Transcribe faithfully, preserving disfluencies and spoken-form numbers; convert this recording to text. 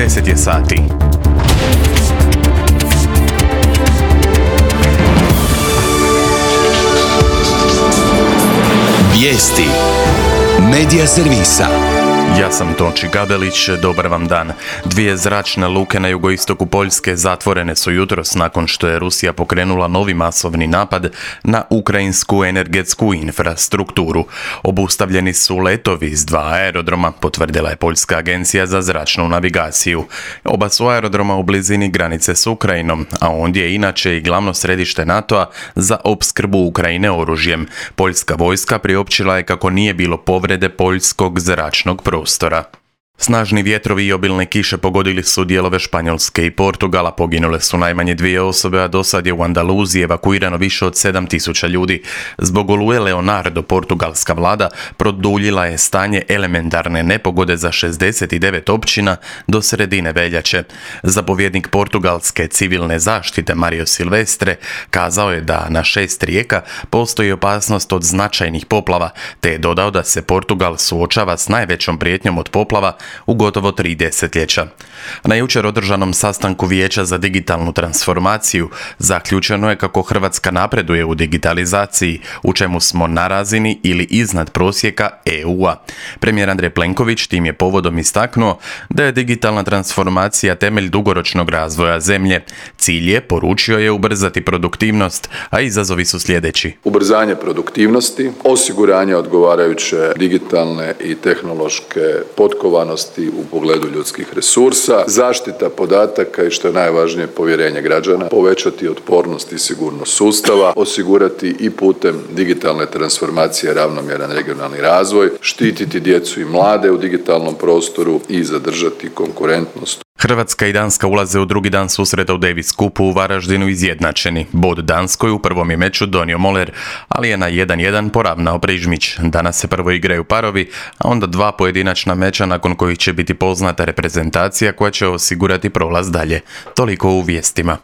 deset je sati. Vijesti Medija servisa. Ja sam Tonči Gabelić, dobar vam dan. Dvije zračne luke na jugoistoku Poljske zatvorene su jutros nakon što je Rusija pokrenula novi masovni napad na ukrajinsku energetsku infrastrukturu. Obustavljeni su letovi s dva aerodroma, potvrdila je Poljska agencija za zračnu navigaciju. Oba su aerodroma u blizini granice s Ukrajinom, a ondje je inače i glavno središte NATO-a za opskrbu Ukrajine oružjem. Poljska vojska priopćila je kako nije bilo povrede poljskog zračnog prostora. Snažni vjetrovi i obilne kiše pogodili su dijelove Španjolske i Portugala, poginule su najmanje dvije osobe, a dosad je u Andaluziji evakuirano više od sedam tisuća ljudi. Zbog oluje Leonardo, portugalska vlada produljila je stanje elementarne nepogode za šezdeset devet općina do sredine veljače. Zapovjednik portugalske civilne zaštite Mario Silvestre kazao je da na šest rijeka postoji opasnost od značajnih poplava, te je dodao da se Portugal suočava s najvećom prijetnjom od poplava u gotovo tri desetljeća. Na jučer održanom sastanku Vijeća za digitalnu transformaciju zaključeno je kako Hrvatska napreduje u digitalizaciji, u čemu smo na razini ili iznad prosjeka E U-a. Premijer Andrej Plenković tim je povodom istaknuo da je digitalna transformacija temelj dugoročnog razvoja zemlje. Cilj je, poručio je, ubrzati produktivnost, a izazovi su sljedeći. Ubrzanje produktivnosti, osiguranje odgovarajuće digitalne i tehnološke potkovanosti u pogledu ljudskih resursa, zaštita podataka i što je najvažnije povjerenje građana, povećati otpornost i sigurnost sustava, osigurati i putem digitalne transformacije ravnomjeran regionalni razvoj, štititi djecu i mlade u digitalnom prostoru i zadržati konkurentnost. Hrvatska i Danska ulaze u drugi dan susreta u Davis Cupu u Varaždinu izjednačeni. Bod Danskoj u prvom je meču donio Moler, ali je na jedan jedan poravnao Prižmić. Danas se prvo igraju parovi, a onda dva pojedinačna meča nakon kojih će biti poznata reprezentacija koja će osigurati prolaz dalje. Toliko u vijestima.